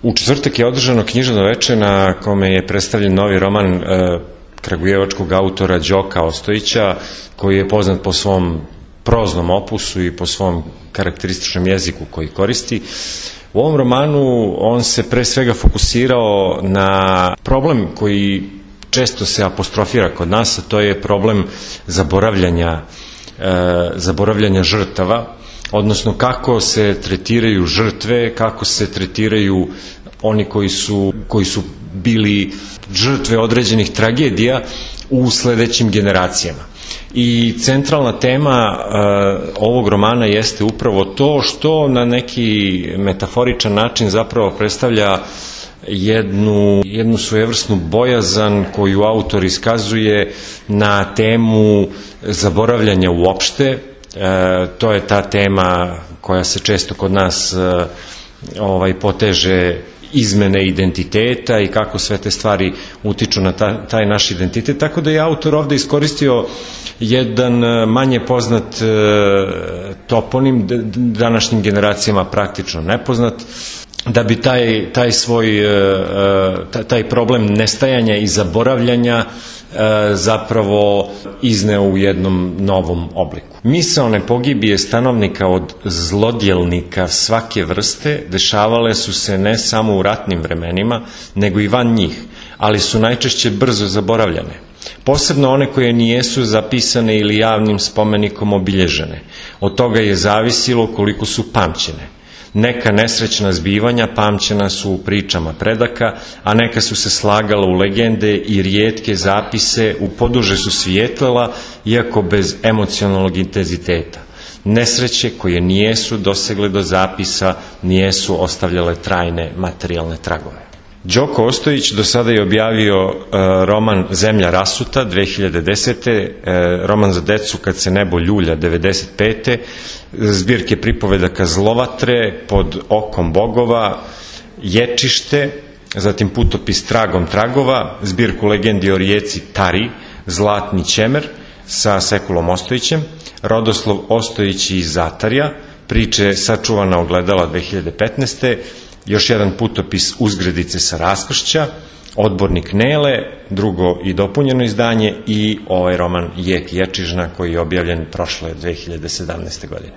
U četvrtak je održano književno veče na kome je predstavljen novi roman kragujevačkog autora Đoka Ostojića, koji je poznat po svom proznom opusu i po svom karakterističnom jeziku koji koristi. U ovom romanu on se pre svega fokusirao na problem koji često se apostrofira kod nas, a to je problem zaboravljanja žrtava, odnosno kako se tretiraju žrtve, kako se tretiraju oni koji su bili žrtve određenih tragedija u sledećim generacijama. I centralna tema ovog romana jeste upravo to što na neki metaforičan način zapravo predstavlja jednu svojevrsnu bojazan koju autor iskazuje na temu zaboravljanja uopšte. To je ta tema koja se često kod nas poteže izmene identiteta i kako sve te stvari utiču na taj naš identitet, tako da je autor ovde iskoristio jedan manje poznat toponim, današnjim generacijama praktično nepoznat, da bi taj problem nestajanja i zaboravljanja zapravo izneo u jednom novom obliku. Misaone pogibije stanovnika od zlodjelnika svake vrste dešavale su se ne samo u ratnim vremenima, nego i van njih, ali su najčešće brzo zaboravljane. Posebno one koje nijesu zapisane ili javnim spomenikom obilježene. Od toga je zavisilo koliko su pamćene. Neka nesrećna zbivanja pamćena su u pričama predaka, a neka su se slagala u legende i rijetke zapise u poduže su svijetlila, iako bez emocionalnog intenziteta. Nesreće koje nijesu dosegle do zapisa, nijesu ostavljale trajne materijalne tragove. Đoko Ostojić do sada je objavio roman Zemlja rasuta 2010. Roman za decu Kad se nebo ljulja 95. Zbirke pripovedaka Zlovatre, Pod okom bogova, Ječište, zatim putopis Tragom tragova, zbirku legendi o rijeci Tari, Zlatni ćemer sa Sekulom Ostojićem, Rodoslov Ostojić iz Zatarja, priče Sačuvana ogledala 2015. Još jedan putopis Uzgredice sa raskršća, Odbornik Nele, drugo i dopunjeno izdanje i ovaj roman Jek Ječižna koji je objavljen prošle 2017. godine.